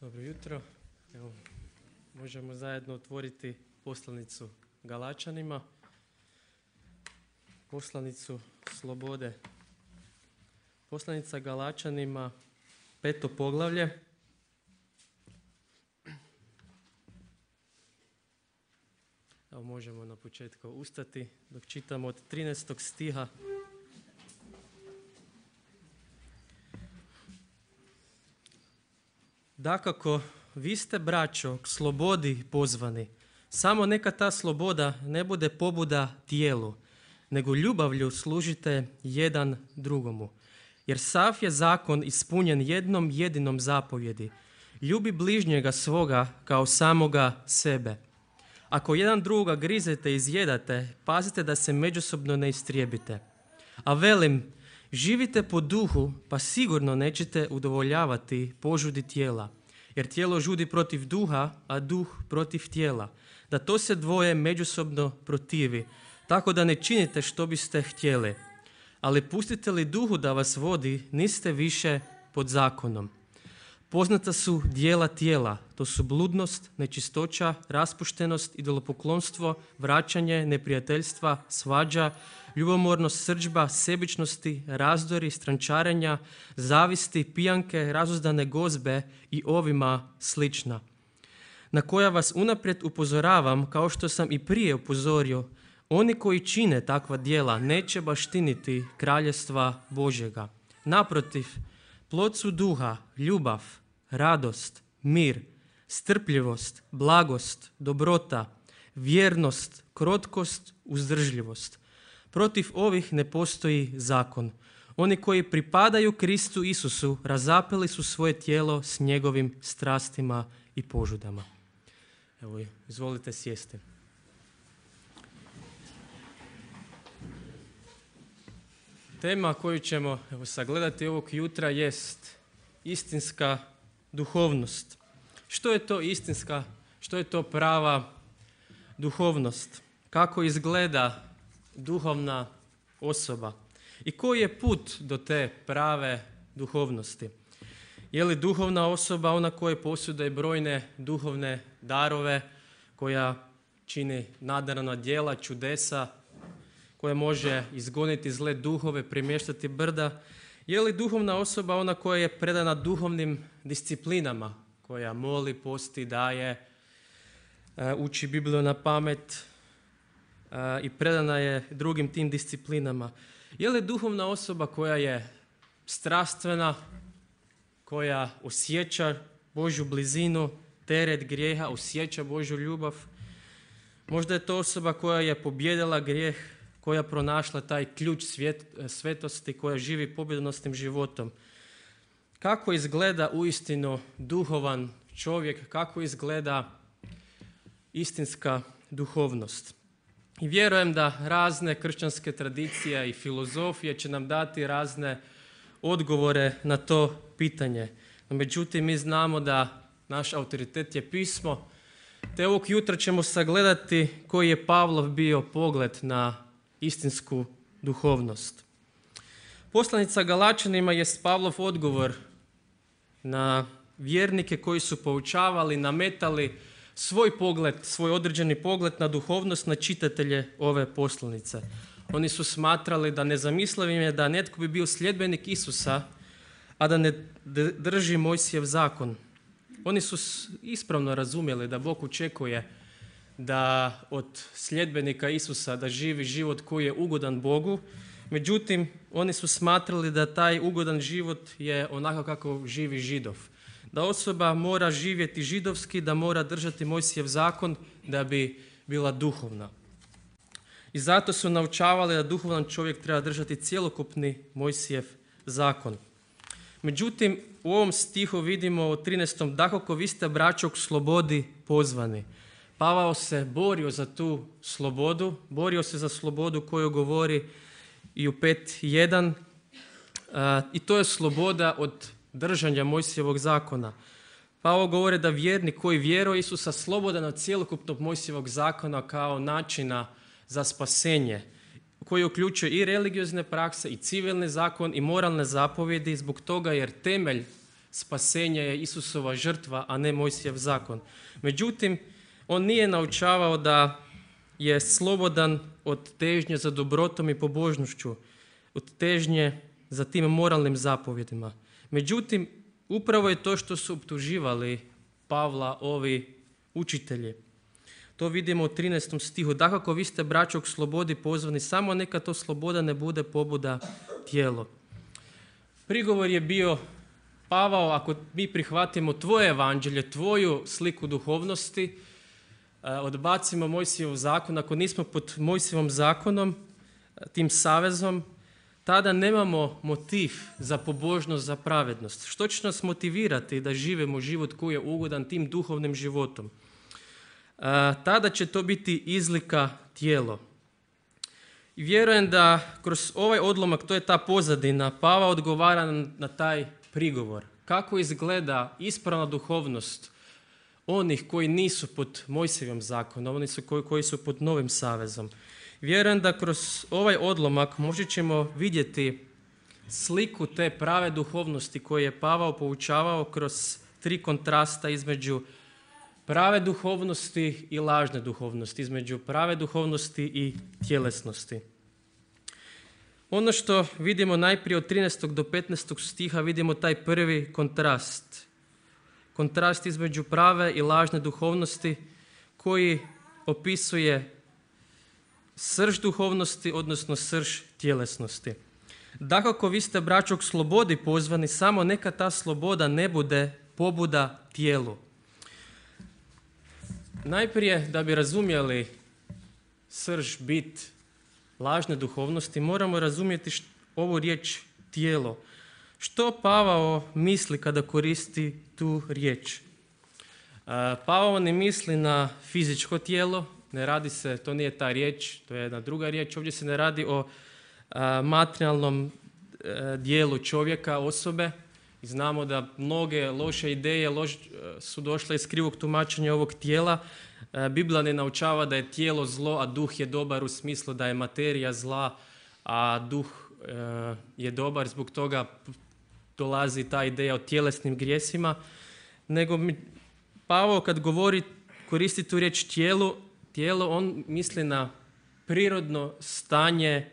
Dobro jutro. Evo, možemo zajedno otvoriti poslanicu Galačanima, poslanicu slobode. Poslanica Galačanima, 5. poglavlje. Evo, možemo na početku ustati dok čitamo od 13. stiha. Dakako, vi ste, braćo, k slobodi pozvani. Samo neka ta sloboda ne bude pobuda tijelu, nego ljubavlju služite jedan drugomu. Jer sav je zakon ispunjen jednom jedinom zapovjedi. Ljubi bližnjega svoga kao samoga sebe. Ako jedan drugoga grizete i izjedate, pazite da se međusobno ne istrijebite. A velim, živite po duhu, pa sigurno nećete udovoljavati požudi tijela. Jer tijelo žudi protiv duha, a duh protiv tijela. Da to se dvoje međusobno protivi, tako da ne činite što biste htjeli. Ali pustite li duhu da vas vodi, niste više pod zakonom. Poznata su dijela tijela, to su bludnost, nečistoća, raspuštenost, idolopoklonstvo, vraćanje, neprijateljstva, svađa, ljubomornost, srdžba, sebičnosti, razdori, strančarenja, zavisti, pijanke, razuzdane gozbe i ovima slična, na koja vas unaprijed upozoravam, kao što sam i prije upozorio. Oni koji čine takva djela neće baštiniti kraljevstva Božjega. Naprotiv, plod su duha, ljubav, radost, mir, strpljivost, blagost, dobrota, vjernost, krotkost, uzdržljivost. Protiv ovih ne postoji zakon. Oni koji pripadaju Kristu Isusu razapeli su svoje tijelo s njegovim strastima i požudama. Evo, izvolite sjesti. Tema koju ćemo sagledati ovog jutra jest istinska duhovnost. Što je to istinska, što je to prava duhovnost? Kako izgleda duhovna osoba? I koji je put do te prave duhovnosti? Je li duhovna osoba ona koja posjeduje brojne duhovne darove, koja čini nadarana djela, čudesa, koja može izgoniti zle duhove, premještati brda? Je li duhovna osoba ona koja je predana duhovnim disciplinama, koja moli, posti, daje, uči Bibliju na pamet i predana je drugim tim disciplinama? Je li duhovna osoba koja je strastvena, koja osjeća Božju blizinu, teret grijeha, osjeća Božju ljubav? Možda je to osoba koja je pobijedila grijeh, koja pronašla taj ključ svetosti, koja živi pobjedonosnim životom. Kako izgleda uistinu duhovan čovjek, kako izgleda istinska duhovnost? I vjerujem da razne kršćanske tradicije i filozofije će nam dati razne odgovore na to pitanje. No, međutim, mi znamo da naš autoritet je pismo, te ovog jutra ćemo sagledati koji je Pavlov bio pogled na istinsku duhovnost. Poslanica Galačanima je Pavlov odgovor na vjernike koji su poučavali, nametali svoj pogled, svoj određeni pogled na duhovnost na čitatelje ove poslanice. Oni su smatrali da nezamislivim je da netko bi bio sljedbenik Isusa, a da ne drži Mojsijev zakon. Oni su ispravno razumjeli da Bog očekuje da od sljedbenika Isusa da živi život koji je ugodan Bogu. Međutim, oni su smatrali da taj ugodan život je onako kako živi Židov. Da osoba mora živjeti židovski, da mora držati Mojsijev zakon da bi bila duhovna. I zato su naučavali da duhovan čovjek treba držati cjelokupni Mojsijev zakon. Međutim, u ovom stihu vidimo u 13. dakako vi ste, braćo, k slobodi pozvani. Pavao se borio za tu slobodu, borio se za slobodu koju govori i u 5.1. I to je sloboda od držanja Mojsijevog zakona. Pavao govori da vjernik koji vjeruje Isusa slobodan od cjelokupnog Mojsijevog zakona kao načina za spasenje, koji uključuje i religiozne prakse, i civilni zakon, i moralne zapovjedi, zbog toga jer temelj spasenje je Isusova žrtva, a ne Mojsijev zakon. Međutim, on nije naučavao da je slobodan od težnje za dobrotom i pobožnošću, od težnje za tim moralnim zapovjedima. Međutim, upravo je to što su optuživali Pavla ovi učitelji. To vidimo u 13. stihu. Dakako, vi ste, braćo, k slobodi pozvani, samo neka to sloboda ne bude pobuda tijelo. Prigovor je bio: Pavao, ako mi prihvatimo tvoje evanđelje, tvoju sliku duhovnosti, odbacimo Mojsijev zakon, ako nismo pod Mojsijevom zakonom, tim savezom, tada nemamo motiv za pobožnost, za pravednost. Što će nas motivirati da živimo život koji je ugodan tim duhovnim životom? Tada će to biti izlika tijelo. I vjerujem da kroz ovaj odlomak, to je ta pozadina, Pavao odgovara na taj prigovor. Kako izgleda ispravna duhovnost onih koji nisu pod Mojsijevim zakonom, oni su koji su pod novim savezom. Vjerujem da kroz ovaj odlomak možda ćemo vidjeti sliku te prave duhovnosti koju je Pavao poučavao kroz 3 kontrasta između prave duhovnosti i lažne duhovnosti, između prave duhovnosti i tjelesnosti. Ono što vidimo najprije od 13. do 15. stiha, vidimo taj prvi kontrast. Kontrast između prave i lažne duhovnosti koji opisuje srž duhovnosti, odnosno srž tjelesnosti. Dakako, vi ste, braćo, k slobodi pozvani, samo neka ta sloboda ne bude pobuda tijelu. Najprije, da bi razumjeli srž, bit lažne duhovnosti, moramo razumjeti ovu riječ tijelo. Što Pavao misli kada koristi tu riječ? Pavao ne misli na fizičko tijelo, ne radi se, to nije ta riječ, to je jedna druga riječ. Ovdje se ne radi o materijalnom dijelu čovjeka, osobe. I znamo da mnoge loše ideje su došle iz krivog tumačenja ovog tijela. Biblija ne naučava da je tijelo zlo, a duh je dobar, u smislu da je materija zla, a duh je dobar. Zbog toga dolazi ta ideja o tjelesnim grijesima. Nego Pavao kad koristi tu riječ tijelo, on misli na prirodno stanje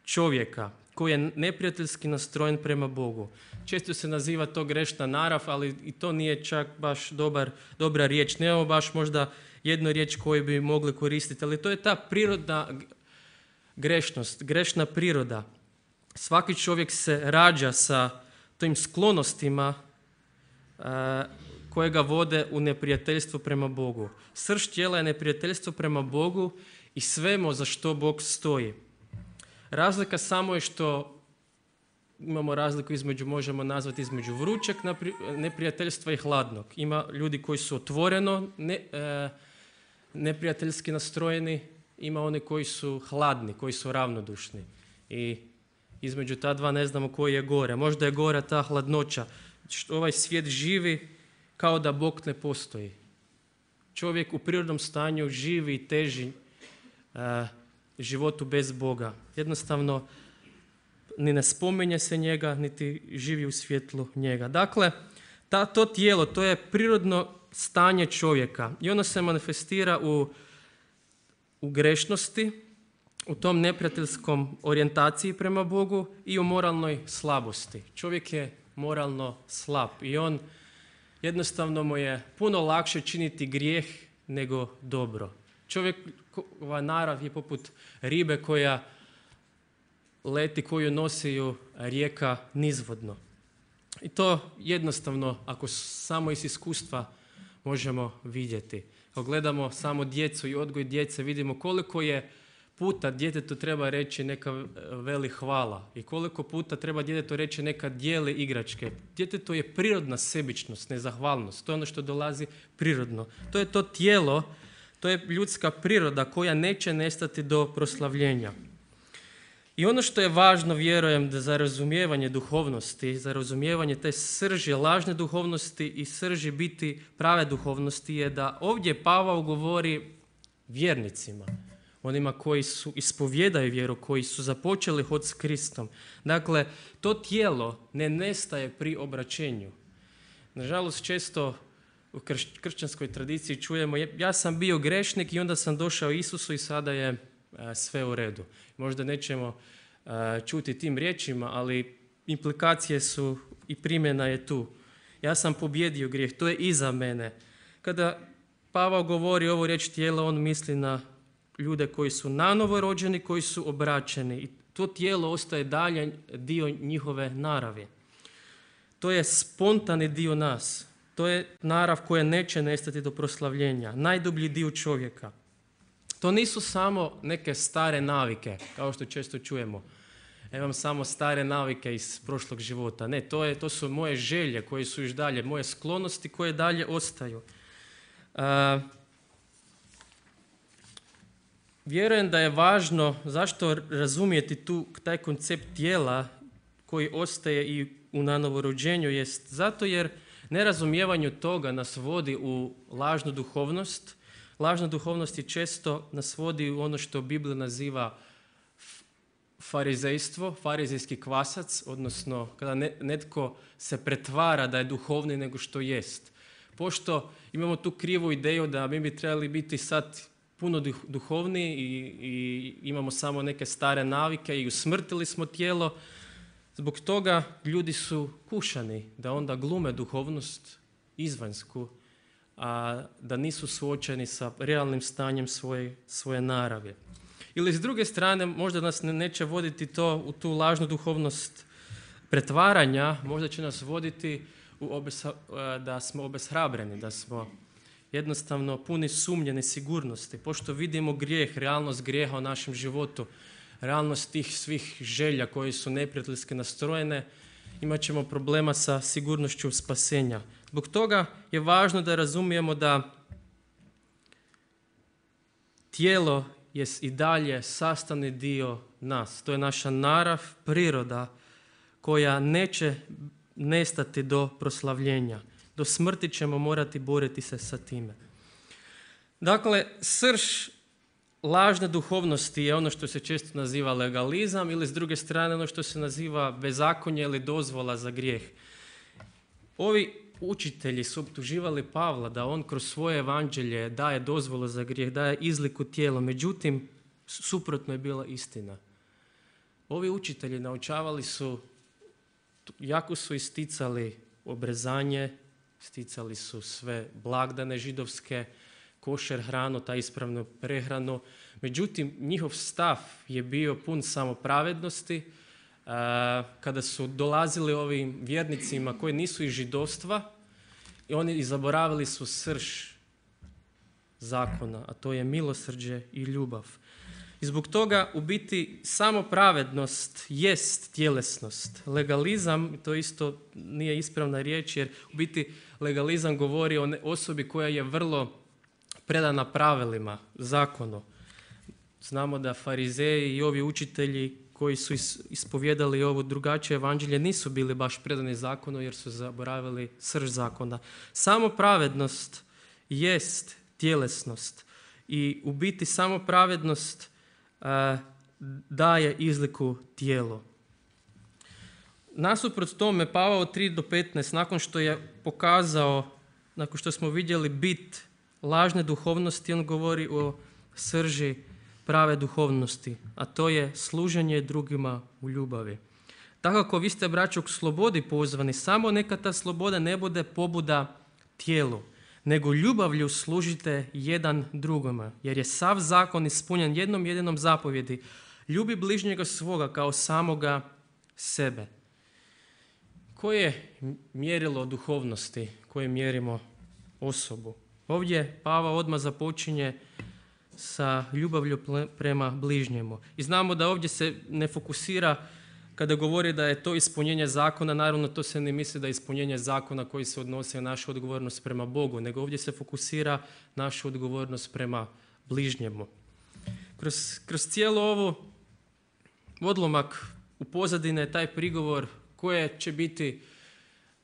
čovjeka koji je neprijateljski nastrojen prema Bogu. Često se naziva to grešna narav, ali i to nije čak baš dobra riječ. Nemamo baš možda jednu riječ koju bi mogli koristiti, ali to je ta prirodna grešnost, grešna priroda. Svaki čovjek se rađa sa tim sklonostima koje ga vode u neprijateljstvo prema Bogu. Srž tijela je neprijateljstvo prema Bogu i svemu za što Bog stoji. Razlika samo je što imamo razliku možemo nazvati između vrućeg neprijateljstva i hladnog. Ima ljudi koji su otvoreno neprijateljski nastrojeni, ima oni koji su hladni, koji su ravnodušni. I između ta dva ne znamo koji je gore. Možda je gore ta hladnoća. Ovaj svijet živi kao da Bog ne postoji. Čovjek u prirodnom stanju živi i teži životu bez Boga. Jednostavno ni ne spominje se njega, niti živi u svjetlu njega. Dakle, to tijelo, to je prirodno stanje čovjeka i ono se manifestira u grešnosti, u tom neprijateljskom orijentaciji prema Bogu i u moralnoj slabosti. Čovjek je moralno slab i on jednostavno mu je puno lakše činiti grijeh nego dobro. Čovjekova narav je poput ribe koja leti, koju nosi ju rijeka nizvodno. I to jednostavno, ako samo iz iskustva možemo vidjeti. Ako gledamo samo djecu i odgoj djece, vidimo koliko je puta djetetu treba reći neka veli hvala i koliko puta treba djetetu reći neka dijeli igračke. Djetetu je prirodna sebičnost, nezahvalnost. To je ono što dolazi prirodno. To je to tijelo, to je ljudska priroda koja neće nestati do proslavljenja. I ono što je važno, vjerujem, da za razumijevanje duhovnosti, za razumijevanje te srži lažne duhovnosti i srži biti prave duhovnosti je da ovdje Pavao govori vjernicima, onima koji su ispovjedaju vjeru, koji su započeli hod s Kristom. Dakle, to tijelo ne nestaje pri obraćenju. Nažalost, često u kršćanskoj tradiciji čujemo ja sam bio grešnik i onda sam došao Isusu i sada je sve u redu. Možda nećemo čuti tim riječima, ali implikacije su i primjena je tu. Ja sam pobjedio grijeh, to je iza mene. Kada Pavao govori ovu riječ tijelo, on misli na ljude koji su nanovo rođeni, koji su obraćeni. I to tijelo ostaje dalje dio njihove naravi. To je spontani dio nas. To je narav koja neće nestati do proslavljenja. Najdublji dio čovjeka. To nisu samo neke stare navike, kao što često čujemo. Imam samo stare navike iz prošlog života. Ne, to su moje želje koje su još dalje, moje sklonosti koje dalje ostaju. Vjerujem da je važno zašto razumijeti taj koncept tijela koji ostaje i u nanovorođenju jest zato jer nerazumijevanju toga nas vodi u lažnu duhovnost. Lažna duhovnost je često nas vodi u ono što Biblija naziva farizejstvo, farizejski kvasac, odnosno kada netko se pretvara da je duhovniji nego što jest. Pošto imamo tu krivu ideju da mi bi trebali biti sad puno duhovniji i imamo samo neke stare navike i usmrtili smo tijelo, zbog toga ljudi su kušani da onda glume duhovnost izvanjsku, a da nisu suočeni sa realnim stanjem svoje naravi. Ili s druge strane, možda nas neće voditi to u tu lažnu duhovnost pretvaranja, možda će nas voditi da smo obeshrabreni, da smo jednostavno puni sumnje, nesigurnosti. Pošto vidimo grijeh, realnost grijeha u našem životu, realnost tih svih želja koje su neprijateljski nastrojene, imat ćemo problema sa sigurnošću spasenja. Zbog toga je važno da razumijemo da tijelo je i dalje sastavni dio nas. To je naša narav, priroda koja neće nestati do proslavljenja. Do smrti ćemo morati boriti se sa time. Dakle, srž lažne duhovnosti je ono što se često naziva legalizam ili s druge strane ono što se naziva bezakonje ili dozvola za grijeh. Ovi učitelji su optuživali Pavla da on kroz svoje evanđelje daje dozvolu za grijeh, daje izliku tijela. Međutim, suprotno je bila istina. Ovi učitelji naučavali su, jako su isticali obrezanje, isticali su sve blagdane židovske, košer hranu, ta ispravnu prehranu. Međutim, njihov stav je bio pun samopravednosti. Kada su dolazili ovim vjernicima koji nisu iz židovstva, i oni zaboravili su srž zakona, a to je milosrđe i ljubav. I zbog toga u biti samopravednost jest tjelesnost. Legalizam, to isto nije ispravna riječ, jer u biti legalizam govori o osobi koja je vrlo predana pravilima, zakonu. Znamo da farizeji i ovi učitelji koji su ispovjedali ovo drugačije evanđelje nisu bili baš predani zakonu jer su zaboravili srž zakona. Samo pravednost jest tjelesnost i u biti samo pravednost daje izliku tijelu. Nasuprot tome Pavao 3-15 nakon što je pokazao, nakon što smo vidjeli bit lažne duhovnosti, on govori o srži prave duhovnosti, a to je služenje drugima u ljubavi. Tako kako vi ste, braćo, k slobodi pozvani, samo neka ta sloboda ne bude pobuda tijelu, nego ljubavlju služite jedan drugome, jer je sav zakon ispunjen jednom jedinom zapovjedi. Ljubi bližnjega svoga kao samoga sebe. Koje je mjerilo duhovnosti koje mjerimo osobu? Ovdje Pavao odmah započinje sa ljubavlju prema bližnjemu. I znamo da ovdje se ne fokusira, kada govori da je to ispunjenje zakona, naravno to se ne misli da je ispunjenje zakona koji se odnosi na našu odgovornost prema Bogu, nego ovdje se fokusira našu odgovornost prema bližnjemu. Kroz cijelu ovu odlomak u pozadine je taj prigovor koje će biti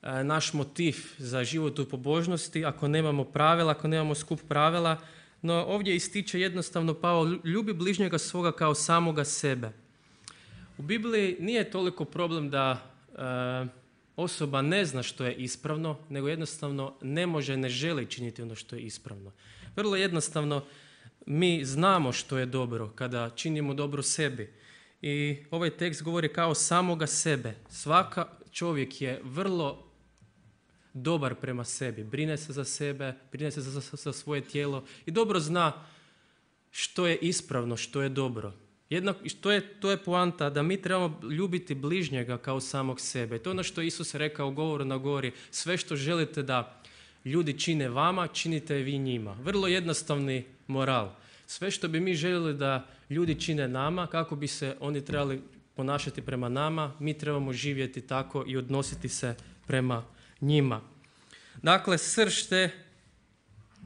naš motiv za život u pobožnosti ako nemamo pravila, ako nemamo skup pravila. No ovdje ističe jednostavno Pavao, ljubi bližnjega svoga kao samoga sebe. U Bibliji nije toliko problem da osoba ne zna što je ispravno, nego jednostavno ne može, ne želi činiti ono što je ispravno. Vrlo jednostavno, mi znamo što je dobro kada činimo dobro sebi. I ovaj tekst govori kao samoga sebe. Svaka čovjek je vrlo dobar prema sebi. Brine se za sebe, brine se za svoje tijelo i dobro zna što je ispravno, što je dobro. To je poanta da mi trebamo ljubiti bližnjega kao samog sebe. To je ono što je Isus rekao u govoru na gori. Sve što želite da ljudi čine vama, činite vi njima. Vrlo jednostavni moral. Sve što bi mi željeli da ljudi čine nama, kako bi se oni trebali ponašati prema nama, mi trebamo živjeti tako i odnositi se prema njima. Dakle, srž te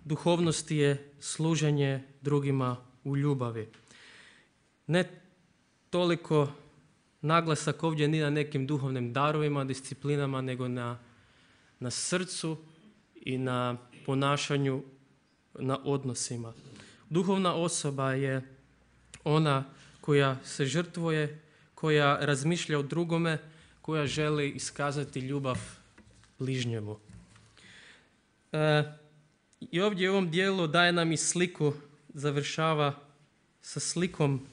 duhovnosti je služenje drugima u ljubavi. Ne toliko naglasak ovdje ni na nekim duhovnim darovima, disciplinama, nego na srcu i na ponašanju, na odnosima. Duhovna osoba je ona koja se žrtvuje, koja razmišlja o drugome, koja želi iskazati ljubav bližnjemu. I ovdje u ovom dijelu daje nam i sliku, završava sa slikom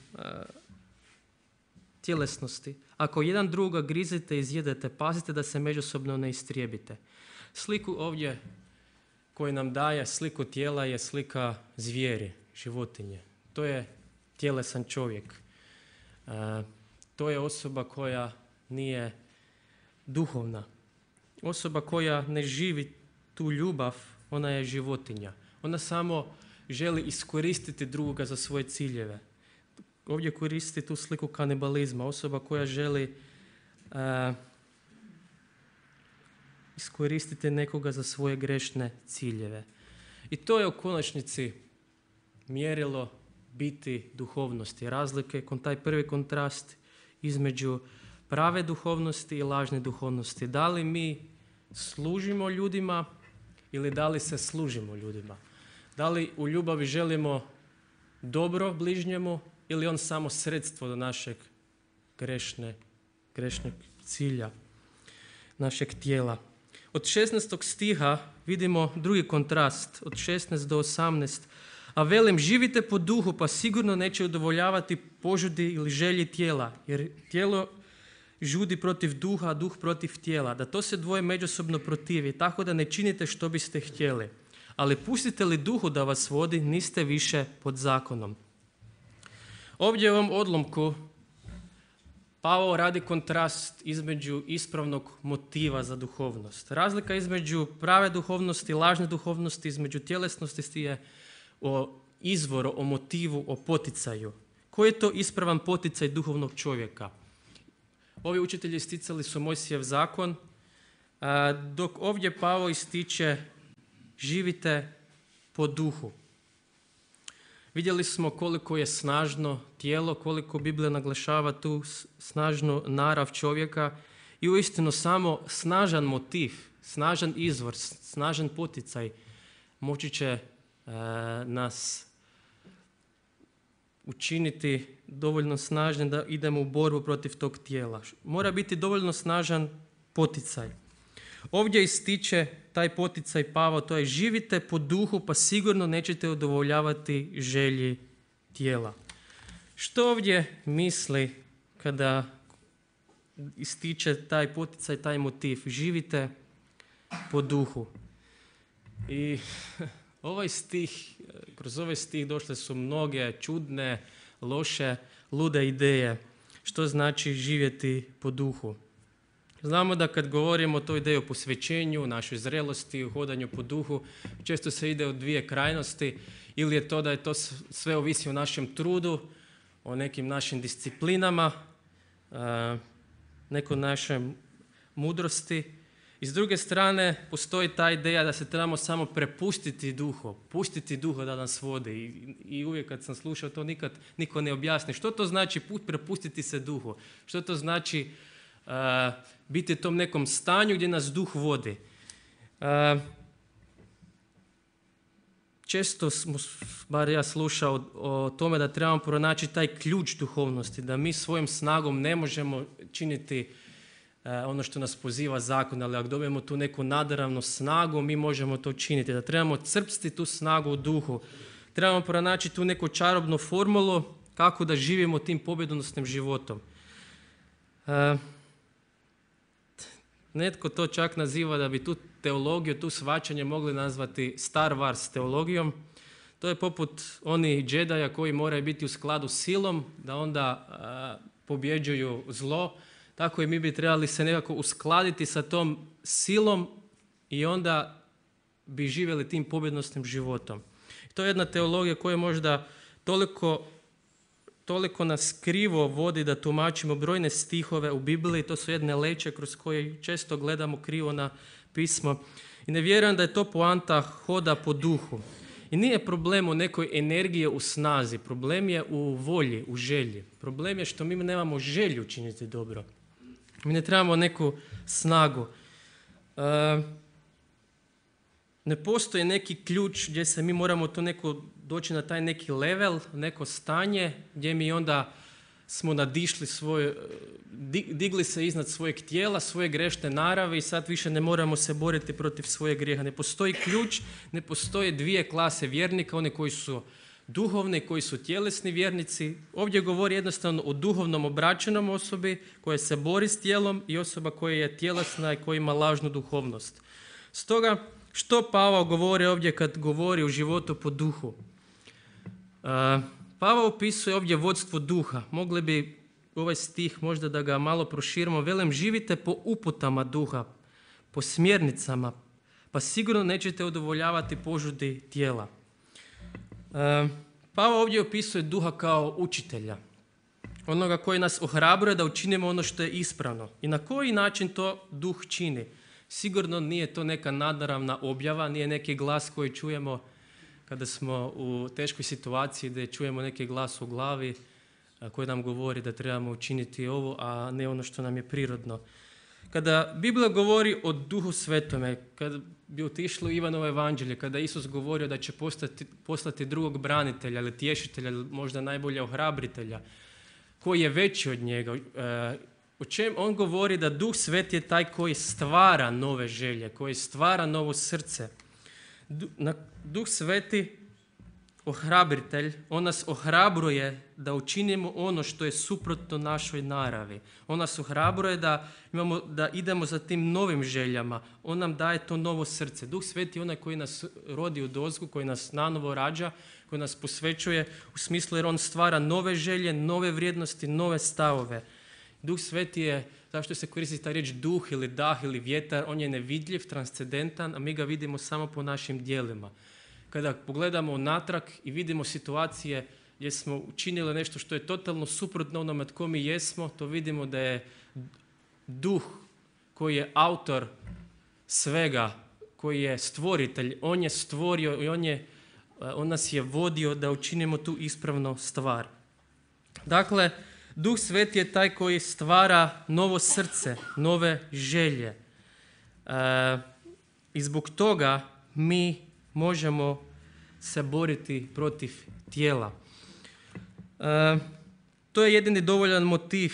tjelesnosti. Ako jedan druga grizete i izjedete, pazite da se međusobno ne istrijebite. Sliku ovdje koju nam daje, sliku tijela, je slika zvijeri, životinje. To je tjelesan čovjek. To je osoba koja nije duhovna. Osoba koja ne živi tu ljubav, ona je životinja. Ona samo želi iskoristiti drugoga za svoje ciljeve. Ovdje koristi tu sliku kanibalizma. Osoba koja želi iskoristiti nekoga za svoje grešne ciljeve. I to je u konačnici mjerilo biti duhovnosti. Razlike, taj prvi kontrast između prave duhovnosti i lažne duhovnosti. Da li mi služimo ljudima ili da li se služimo ljudima? Da li u ljubavi želimo dobro bližnjemu ili on samo sredstvo do našeg grešnog cilja, našeg tijela? Od 16. stiha vidimo drugi kontrast, od 16 do 18. A velim, živite po duhu, pa sigurno neće udovoljavati požudi ili želji tijela, jer tijelo žudi protiv duha, a duh protiv tijela, da to se dvoje međusobno protivi, tako da ne činite što biste htjeli. Ali pustite li duhu da vas vodi, niste više pod zakonom. Ovdje u ovom odlomku Pavao radi kontrast između ispravnog motiva za duhovnost. Razlika između prave duhovnosti i lažne duhovnosti, između tjelesnosti je o izvoru, o motivu, o poticaju. Koji je to ispravan poticaj duhovnog čovjeka? Ovi učitelji isticali su Mojsijev zakon, dok ovdje Pavao ističe živite po duhu. Vidjeli smo koliko je snažno tijelo, koliko Biblija naglašava tu snažnu narav čovjeka i uistinu samo snažan motiv, snažan izvor, snažan poticaj moći će nas učiniti dovoljno snažnim da idemo u borbu protiv tog tijela. Mora biti dovoljno snažan poticaj. Ovdje ističe taj poticaj Pavao, to je živite po duhu, pa sigurno nećete udovoljavati želji tijela. Što ovdje misli kada ističe taj poticaj, taj motiv? Živite po duhu. I kroz ovaj stih došle su mnoge čudne, loše, lude ideje. Što znači živjeti po duhu? Znamo da kad govorimo o toj ideji o posvećenju, našoj zrelosti, o hodanju po duhu, često se ide u dvije krajnosti. Ili je to da je to sve ovisi o našem trudu, o nekim našim disciplinama, nekoj našoj mudrosti. I s druge strane postoji ta ideja da se trebamo samo prepustiti duhu, pustiti duha da nas vodi. I uvijek kad sam slušao to nikad niko ne objasni. Što to znači prepustiti se duhu? Što to znači biti u tom nekom stanju gdje nas duh vodi? Često smo, bar ja slušao o tome da trebamo pronaći taj ključ duhovnosti, da mi svojom snagom ne možemo činiti ono što nas poziva zakon, ali ako dobijemo tu neku nadaravnu snagu, mi možemo to činiti. Da trebamo crpsti tu snagu u duhu. Trebamo pronaći tu neku čarobnu formulu kako da živimo tim pobjedonosnim životom. Netko to čak naziva da bi tu teologiju, tu shvaćanje mogli nazvati Star Wars teologijom. To je poput onih džedaja koji moraju biti u skladu s silom, da onda pobjeđuju zlo. Tako i mi bi trebali se nekako uskladiti sa tom silom i onda bi živjeli tim pobjednosnim životom. To je jedna teologija koja možda toliko nas krivo vodi da tumačimo brojne stihove u Bibliji. To su jedne leće kroz koje često gledamo krivo na pismo. I ne vjerujem da je to poanta hoda po duhu. I nije problem u nekoj energiji u snazi. Problem je u volji, u želji. Problem je što mi nemamo želju činiti dobro. Mi ne trebamo neku snagu. Ne postoji neki ključ gdje se mi moramo to doći na taj neki level, neko stanje gdje mi onda smo nadišli digli se iznad svojeg tijela, svoje grešne narave i sad više ne moramo se boriti protiv svojeg grijeha. Ne postoji ključ, ne postoje dvije klase vjernika, one koji su duhovni, koji su tjelesni vjernici. Ovdje govori jednostavno o duhovnom obraćenom osobi koja se bori s tijelom i osoba koja je tjelesna i koja ima lažnu duhovnost. Stoga, što Pavao govori ovdje kad govori o životu po duhu? Pavao opisuje ovdje vodstvo duha. Mogli bi ovaj stih možda da ga malo proširimo. Velim, živite po uputama duha, po smjernicama, pa sigurno nećete udovoljavati požudi tijela. Pavao ovdje opisuje duha kao učitelja. Onoga koji nas ohrabruje da učinimo ono što je ispravno. I na koji način to duh čini? Sigurno nije to neka nadnaravna objava, nije neki glas koji čujemo kada smo u teškoj situaciji gdje čujemo neki glas u glavi koji nam govori da trebamo učiniti ovo, a ne ono što nam je prirodno. Kada Biblija govori o Duhu Svetome, kada bi otišlo Ivanovo evanđelje, kada Isus govorio da će poslati drugog branitelja ili tješitelja, ili možda najbolje ohrabritelja, koji je veći od njega, o čem on govori da Duh Sveti je taj koji stvara nove želje, koji stvara novo srce. Duh Sveti, ohrabritelj, on nas ohrabruje da učinimo ono što je suprotno našoj naravi. On nas ohrabruje da idemo za tim novim željama. On nam daje to novo srce. Duh Sveti je onaj koji nas rodi u dozgu, koji nas nanovo rađa, koji nas posvećuje u smislu jer on stvara nove želje, nove vrijednosti, nove stavove. Duh Sveti je, zašto se koristi ta riječ duh ili dah ili vjetar, on je nevidljiv, transcendentan, a mi ga vidimo samo po našim djelima. Kada pogledamo unatrag i vidimo situacije gdje smo učinili nešto što je totalno suprotno onome tko mi jesmo, to vidimo da je duh koji je autor svega, koji je stvoritelj, on je stvorio i on nas je vodio da učinimo tu ispravnu stvar. Dakle, Duh Sveti je taj koji stvara novo srce, nove želje. I zbog toga mi možemo se boriti protiv tijela. To je jedini dovoljan motiv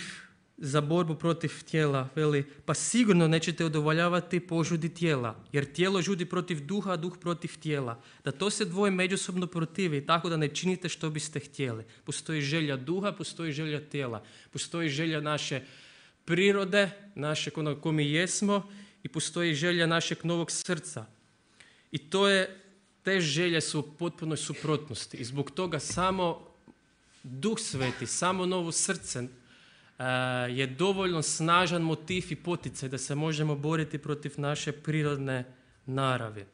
za borbu protiv tijela. Veli, pa sigurno nećete udovoljavati požudi tijela, jer tijelo žudi protiv duha, a duh protiv tijela. Da to se dvoje međusobno protivi, tako da ne činite što biste htjeli. Postoji želja duha, postoji želja tijela. Postoji želja naše prirode, našeg onog ko mi jesmo, i postoji želja našeg novog srca. I te želje su u potpunoj suprotnosti. I zbog toga samo Duh Sveti, samo novo srce je dovoljno snažan motiv i poticaj da se možemo boriti protiv naše prirodne naravi.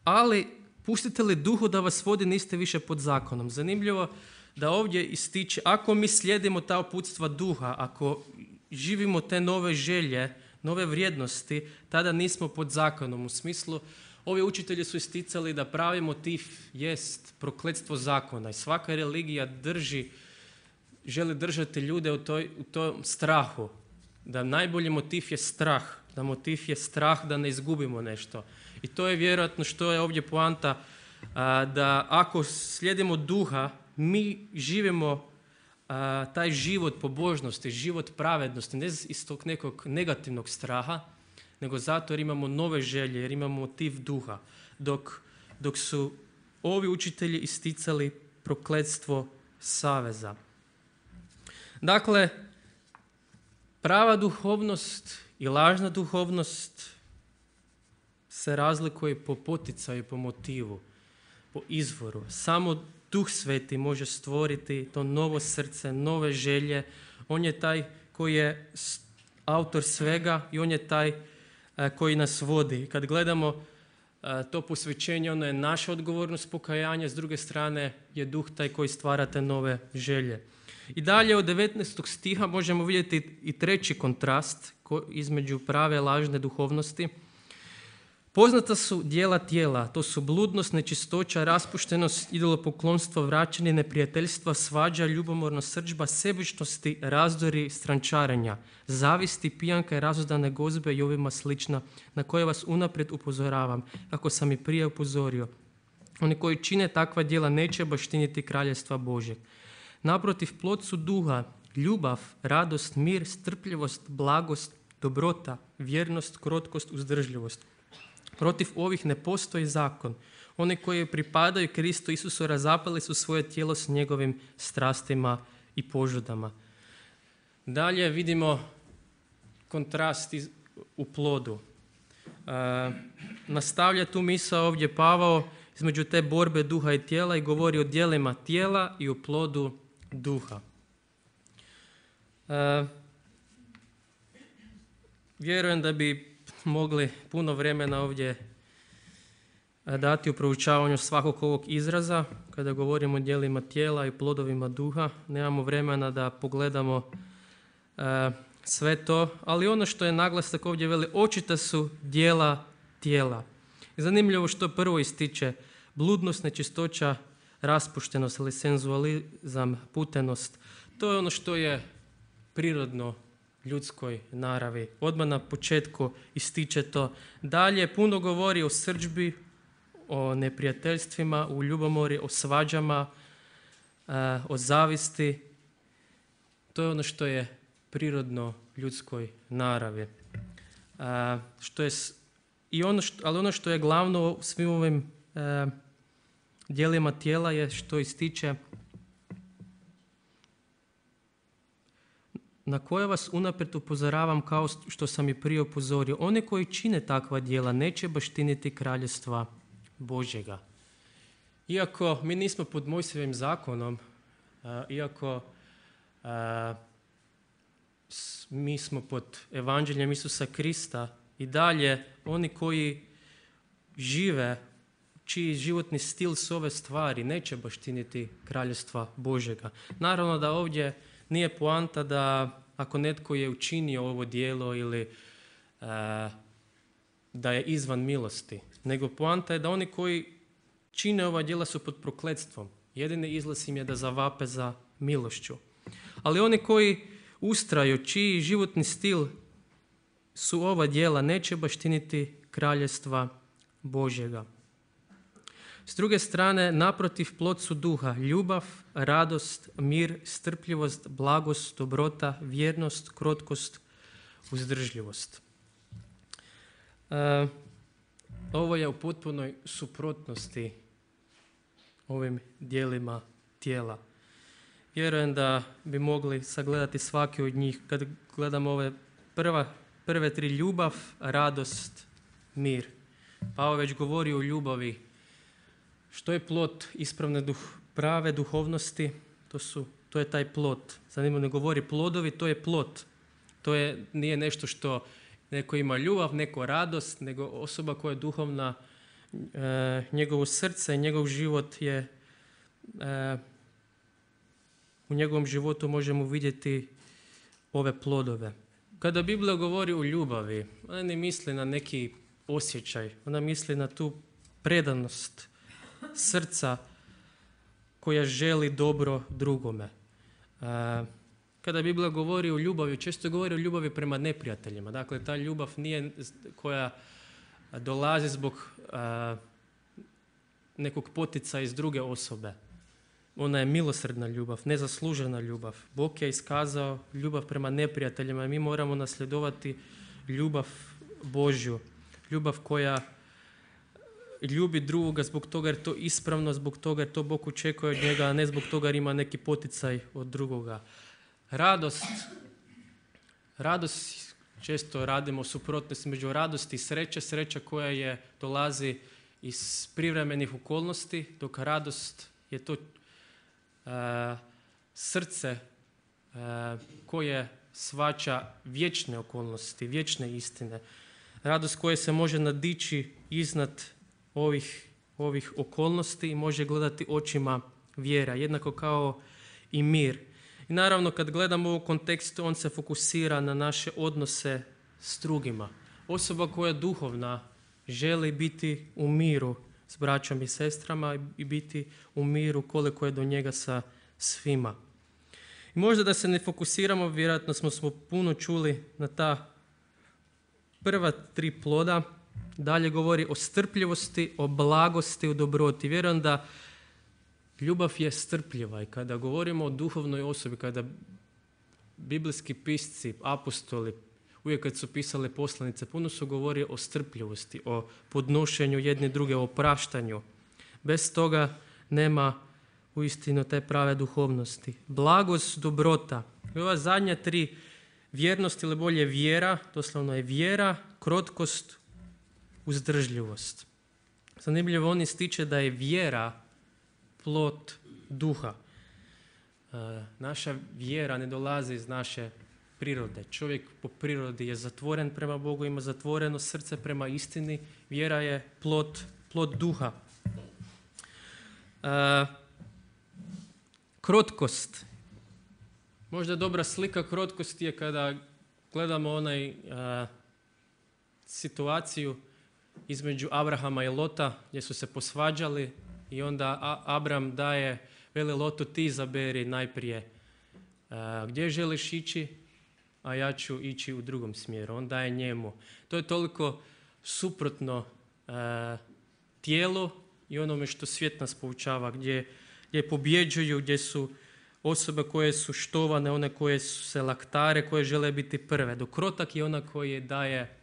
Ali pustite li duhu da vas vodi, niste više pod zakonom. Zanimljivo da ovdje ističe, ako mi slijedimo ta uputstva duha, ako živimo te nove želje, nove vrijednosti, tada nismo pod zakonom. U smislu, ovi učitelji su isticali da pravi motiv jest prokletstvo zakona i svaka religija želi držati ljude u tom strahu. Da najbolji motiv je strah, da motiv je strah da ne izgubimo nešto. I to je vjerojatno što je ovdje poanta, da ako slijedimo duha, mi živimo taj život pobožnosti, život pravednosti, ne iz tog nekog negativnog straha, nego zato jer imamo nove želje, jer imamo motiv duha. Dok su ovi učitelji isticali prokletstvo saveza. Dakle, prava duhovnost i lažna duhovnost se razlikuje po poticaju, po motivu, po izvoru. Samo Duh Sveti može stvoriti to novo srce, nove želje. On je taj koji je autor svega i on je taj koji nas vodi. Kad gledamo to posvećenje, ono je naša odgovornost pokajanja, s druge strane je Duh taj koji stvara te nove želje. I dalje od 19. stiha možemo vidjeti i treći kontrast između prave i lažne duhovnosti. Poznata su djela tijela, to su bludnost, nečistoća, raspuštenost, idolopoklonstvo, vraćanje, neprijateljstva, svađa, ljubomorna srdžba, sebičnosti, razdori, strančarenja, zavisti, pijanka i razuzdane gozbe i ovima slična, na koje vas unaprijed upozoravam, kako sam i prije upozorio. Oni koji čine takva djela neće baštiniti kraljestva Božjeg. Naprotiv, plod su duha, ljubav, radost, mir, strpljivost, blagost, dobrota, vjernost, krotkost, uzdržljivost. Protiv ovih ne postoji zakon. Oni koji pripadaju Kristu Isusu razapali su svoje tijelo s njegovim strastima i požudama. Dalje vidimo kontrast u plodu. Nastavlja tu misao ovdje Pavao između te borbe duha i tijela i govori o djelima tijela i o plodu duha. Vjerujem da bi mogli puno vremena ovdje dati u proučavanju svakog ovog izraza. Kada govorimo o djelima tijela i plodovima duha, nemamo vremena da pogledamo sve to, ali ono što je naglasak ovdje veli, očita su djela tijela. I zanimljivo što prvo ističe bludnost, nečistoća, raspuštenost ili senzualizam, putenost. To je ono što je prirodno ljudskoj naravi. Odmah na početku ističe to. Dalje puno govori o srdžbi, o neprijateljstvima, o ljubomori, o svađama, o zavisti. To je ono što je prirodno ljudskoj naravi. Ali ono što je glavno u svim ovim djelima tijela je što ističe na koje vas unaprijed upozoravam kao što sam i prije upozorio. One koji čine takva djela neće baštiniti kraljestva Božjega. Iako mi nismo pod Mojsijevim zakonom, iako mi smo pod evanđeljem Isusa Krista, i dalje oni koji žive, čiji životni stil su ove stvari, neće baštiniti kraljestva Božjega. Naravno da ovdje nije poanta da ako netko je učinio ovo djelo ili da je izvan milosti, nego poanta je da oni koji čine ova djela su pod prokletstvom. Jedini izlaz im je da zavape za milošću. Ali oni koji ustraju, čiji životni stil su ova djela, neće baštiniti kraljestva Božjega. S druge strane, naprotiv, plod su duha, ljubav, radost, mir, strpljivost, blagost, dobrota, vjernost, krotkost, uzdržljivost. Ovo je u potpunoj suprotnosti ovim djelima tijela. Vjerujem da bi mogli sagledati svaki od njih. Kad gledamo ove prve tri, ljubav, radost, mir. Pavao već govori o ljubavi. Što je plod ispravne prave duhovnosti? To je taj plod. Zanimljivo ne govori plodovi, to je plod. Nije nešto što neko ima ljubav, neko radost, nego osoba koja je duhovna, njegovo srce, njegov život je, u njegovom životu možemo vidjeti ove plodove. Kada Biblija govori o ljubavi, ona ne misli na neki osjećaj, ona misli na tu predanost srca koja želi dobro drugome. Kada Biblija govori o ljubavi, često govori o ljubavi prema neprijateljima. Dakle, ta ljubav nije koja dolazi zbog nekog poticaja iz druge osobe, ona je milosrdna ljubav, nezaslužena ljubav. Bog je iskazao ljubav prema neprijateljima i mi moramo nasljedovati ljubav Božju. Ljubav koja ljubi drugoga zbog toga jer to ispravno, zbog toga jer to Bog očekuje od njega, a ne zbog toga jer ima neki poticaj od drugoga. Radost, često radimo suprotnost među radosti i sreće. Sreća koja dolazi iz privremenih okolnosti, dok radost je to srce koje shvaća vječne okolnosti, vječne istine. Radost koja se može nadići iznad ovih okolnosti i može gledati očima vjera, jednako kao i mir. I naravno kad gledamo u kontekstu, on se fokusira na naše odnose s drugima. Osoba koja je duhovna želi biti u miru s braćom i sestrama i biti u miru koliko je do njega sa svima. I možda da se ne fokusiramo, vjerojatno smo puno čuli na ta prva 3 ploda. Dalje govori o strpljivosti, o blagosti, o dobroti. Vjerujem da ljubav je strpljiva i kada govorimo o duhovnoj osobi, kada biblijski pisci, apostoli, uvijek kad su pisali poslanice, puno su govorili o strpljivosti, o podnošenju jedne druge, o opraštanju. Bez toga nema uistinu te prave duhovnosti. Blagost, dobrota. I ova zadnja 3, vjernost ili bolje vjera, doslovno je vjera, krotkost, uzdržljivost. Zanimljivo on ističe da je vjera plod duha. Naša vjera ne dolazi iz naše prirode. Čovjek po prirodi je zatvoren prema Bogu, ima zatvoreno srce prema istini. Vjera je plod duha. Krotkost. Možda dobra slika krotkosti je kada gledamo situaciju između Abrahama i Lota gdje su se posvađali i onda Abram veli Lotu ti izaberi najprije gdje želiš ići, a ja ću ići u drugom smjeru. On daje njemu. To je toliko suprotno tijelu i onome što svijet nas poučava, gdje pobjeđuju, gdje su osobe koje su štovane, one koje su se laktare, koje žele biti prve. Dok krotak je ona koji daje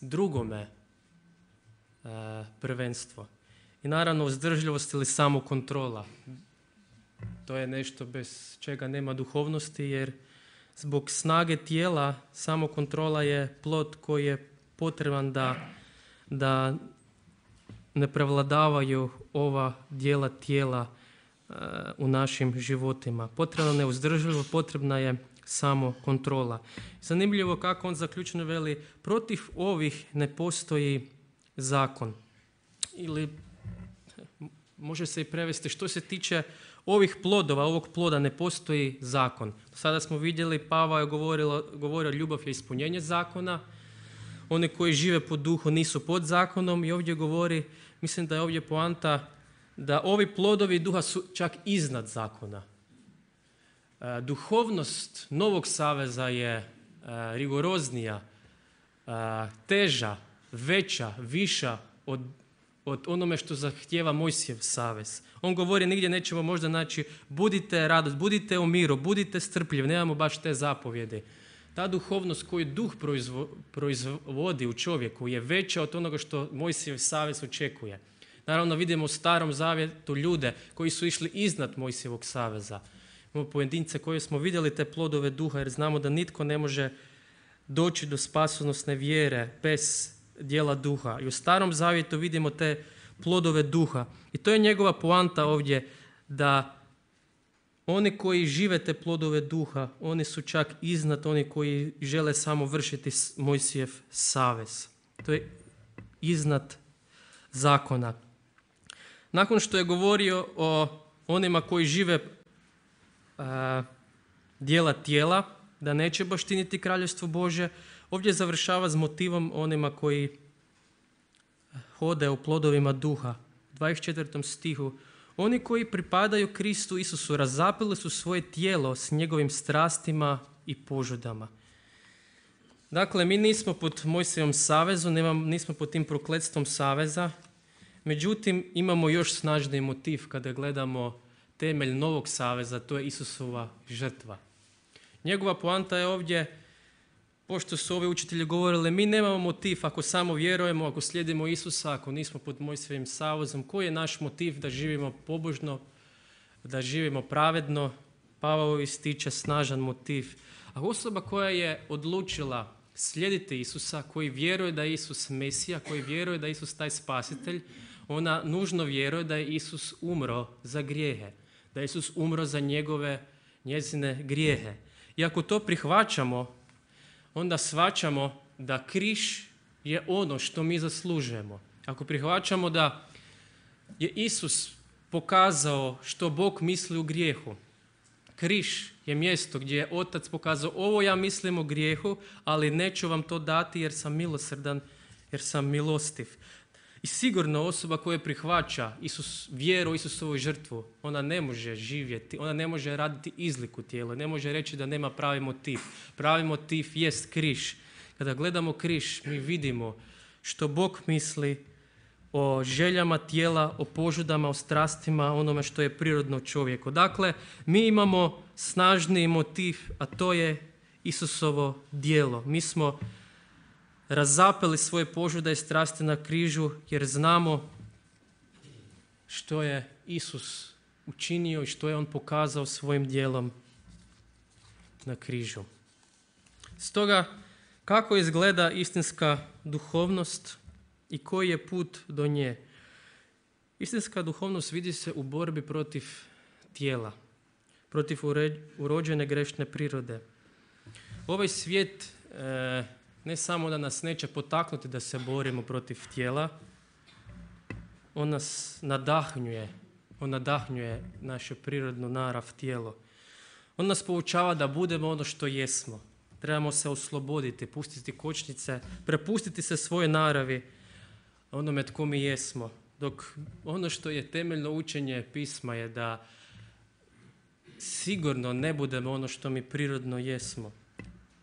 drugome prvenstvo. I naravno uzdržljivost ili samokontrola. To je nešto bez čega nema duhovnosti, jer zbog snage tijela samokontrola je plod koji je potreban da ne prevladavaju ova dijela tijela u našim životima. Potrebna je uzdržljivost, potrebna je samo kontrola. Zanimljivo kako on zaključno veli, protiv ovih ne postoji zakon. Ili može se i prevesti, što se tiče ovih plodova, ovog ploda ne postoji zakon. Sada smo vidjeli, Pavao je govorio ljubav je ispunjenje zakona. Oni koji žive po duhu nisu pod zakonom i ovdje govori, mislim da je ovdje poanta da ovi plodovi duha su čak iznad zakona. Duhovnost Novog saveza je rigoroznija, teža, veća, viša od onome što zahtijeva Mojsijev savez. On govori, nigdje nećemo možda naći budite radost, budite u miru, budite strpljivi, nemamo baš te zapovjede. Ta duhovnost koju duh proizvodi u čovjeku je veća od onoga što Mojsijev savez očekuje. Naravno vidimo u Starom zavjetu ljude koji su išli iznad Mojsijevog saveza. Imamo pojedince koje smo vidjeli te plodove duha jer znamo da nitko ne može doći do spasonosne vjere bez djela duha. I u Starom zavjetu vidimo te plodove duha. I to je njegova poanta ovdje, da oni koji žive te plodove duha, oni su čak iznad oni koji žele samo vršiti Mojsijev savez. To je iznad zakona. Nakon što je govorio o onima koji žive djela tijela, da neće baštiniti kraljevstvo Božje, ovdje završava s motivom onima koji hode u plodovima duha. U 24. stihu. Oni koji pripadaju Kristu Isusu razapeli su svoje tijelo s njegovim strastima i požudama. Dakle, mi nismo pod Mojsijevom savezu, nismo pod tim prokletstvom saveza, međutim imamo još snažniji motiv kada gledamo temelj novog saveza, to je Isusova žrtva. Njegova poanta je ovdje, pošto su ovi učitelji govorili, mi nemamo motiv ako samo vjerujemo, ako slijedimo Isusa, ako nismo pod Mojsijevim savezom, koji je naš motiv da živimo pobožno, da živimo pravedno? Pavao ističe snažan motiv. A osoba koja je odlučila slijediti Isusa, koji vjeruje da je Isus Mesija, koji vjeruje da je Isus taj spasitelj, ona nužno vjeruje da je Isus umro za grijehe, da je Isus umro za njezine grijehe. I ako to prihvaćamo, onda shvaćamo da križ je ono što mi zaslužujemo. Ako prihvaćamo da je Isus pokazao što Bog misli u grijehu, križ je mjesto gdje je Otac pokazao, ovo ja mislim o grijehu, ali neću vam to dati jer sam milosrdan, jer sam milostiv. I sigurno osoba koja prihvaća vjeru u Isusovu žrtvu, ona ne može živjeti, ona ne može raditi izliku tijela, ne može reći da nema pravi motiv. Pravi motiv jest križ. Kada gledamo križ, mi vidimo što Bog misli o željama tijela, o požudama, o strastima, onome što je prirodno čovjeku. Dakle, mi imamo snažniji motiv, a to je Isusovo djelo. Mi smo razapeli svoje požude i strasti na križu jer znamo što je Isus učinio i što je on pokazao svojim djelom na križu. Stoga, kako izgleda istinska duhovnost i koji je put do nje? Istinska duhovnost vidi se u borbi protiv tijela, protiv urođene grešne prirode. Ovaj svijet ne samo da nas neće potaknuti da se borimo protiv tijela, on nas nadahnjuje. On nadahnjuje naše prirodno narav tijelo. On nas poučava da budemo ono što jesmo. Trebamo se osloboditi, pustiti kočnice, prepustiti se svoje naravi, onome tko mi jesmo. Dok ono što je temeljno učenje pisma je da sigurno ne budemo ono što mi prirodno jesmo.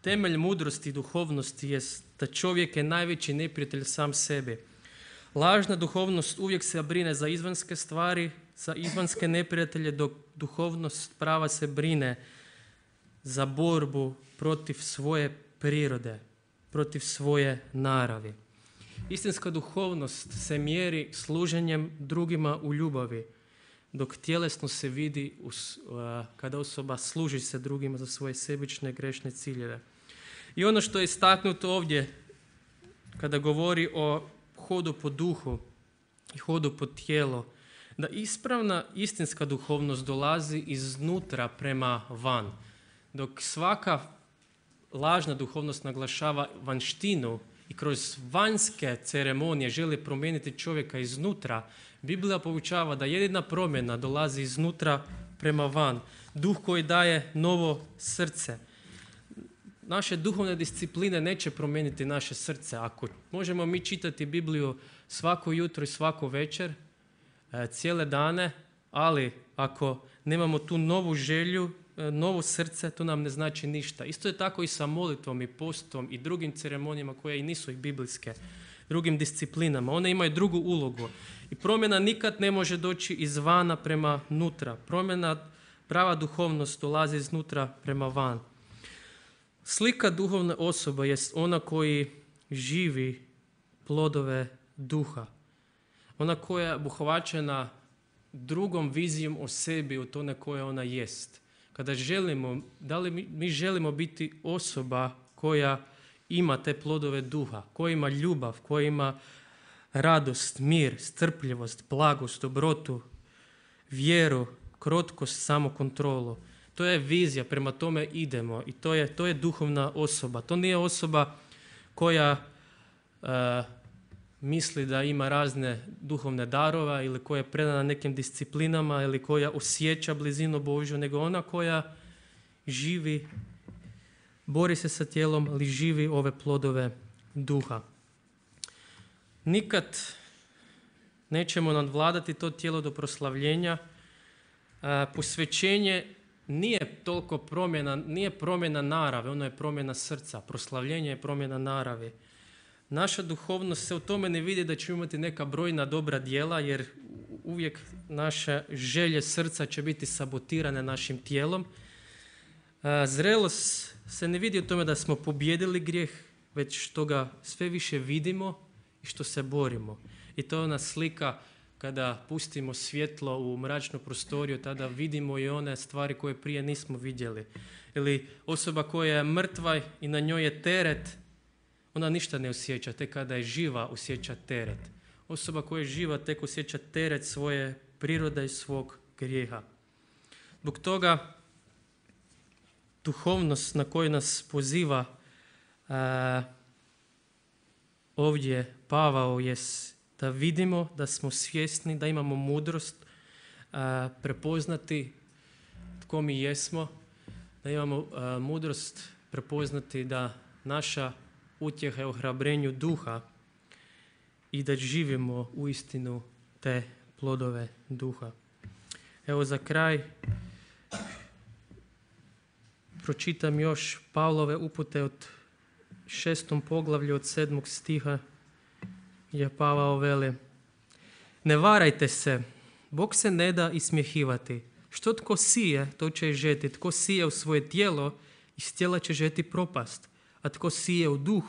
Temelj mudrosti i duhovnosti je da čovjek je najveći neprijatelj sam sebi. Lažna duhovnost uvijek se brine za izvanjske stvari, za izvanjske neprijatelje, dok duhovnost prava se brine za borbu protiv svoje prirode, protiv svoje naravi. Istinska duhovnost se mjeri služenjem drugima u ljubavi, dok tjelesno se vidi kada osoba služi se drugima za svoje sebične grešne ciljeve. I ono što je istaknuto ovdje kada govori o hodu po duhu i hodu po tijelo, da ispravna istinska duhovnost dolazi iznutra prema van, dok svaka lažna duhovnost naglašava vanštinu i kroz vanjske ceremonije želi promijeniti čovjeka iznutra, Biblija poučava da jedina promjena dolazi iznutra prema van. Duh koji daje novo srce. Naše duhovne discipline neće promijeniti naše srce. Ako možemo mi čitati Bibliju svako jutro i svako večer, cijele dane, ali ako nemamo tu novu želju, novo srce, to nam ne znači ništa. Isto je tako i sa molitvom i postom i drugim ceremonijama koje i nisu i biblijske, drugim disciplinama. One imaju drugu ulogu. I promjena nikad ne može doći izvana prema nutra. Prava duhovnost dolazi iznutra prema van. Slika duhovne osobe jest ona koji živi plodove duha. Ona koja je obuhvaćena drugom vizijom o sebi od one koje ona jest. Kada želimo, da li mi želimo biti osoba koja ima te plodove duha, koja ima ljubav, koja ima radost, mir, strpljivost, blagost, dobrotu, vjeru, krotkost, samokontrolu. To je vizija, prema tome idemo i to je duhovna osoba. To nije osoba koja misli da ima razne duhovne darova ili koja je predana nekim disciplinama ili koja osjeća blizinu Božju, nego ona koja živi, bori se sa tijelom, ali živi ove plodove duha. Nikad nećemo nadvladati to tijelo do proslavljenja. Posvećenje nije toliko nije promjena narave, ono je promjena srca. Proslavljenje je promjena naravi. Naša duhovnost se u tome ne vidi da ćemo imati neka brojna dobra djela, jer uvijek naše želje srca će biti sabotirane našim tijelom. Zrelost se ne vidi u tome da smo pobijedili grijeh, već što ga sve više vidimo i što se borimo. I to je ona slika kada pustimo svjetlo u mračnu prostoriju, tada vidimo i one stvari koje prije nismo vidjeli. Ili osoba koja je mrtva i na njoj je teret, ona ništa ne osjeća, tek kada je živa osjeća teret. Osoba koja je živa tek osjeća teret svoje prirode i svog grijeha. Zbog toga duhovnost na koju nas poziva ovdje Pavao je da vidimo, da smo svjesni, da imamo mudrost prepoznati tko mi jesmo, da imamo mudrost prepoznati da naša utjeha je ohrabrenju duha i da živimo uistinu te plodove duha. Evo za kraj pročitam još Pavlove upute od 6. poglavlju od 7. stiha gdje Pavao veli: ne varajte se, Bog se ne da ismjehivati. Što tko sije, to će i žeti. Tko sije u svoje tijelo, iz tijela će žeti propast. A tko sije u duh,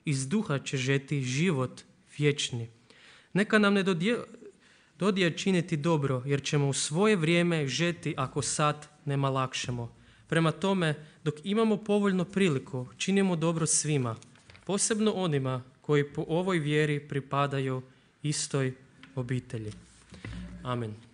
iz duha će žeti život vječni. Neka nam ne dodije činiti dobro, jer ćemo u svoje vrijeme žeti ako sad ne lakšemo. Prema tome, dok imamo povoljnu priliku, činimo dobro svima, posebno onima koji po ovoj vjeri pripadaju istoj obitelji. Amen.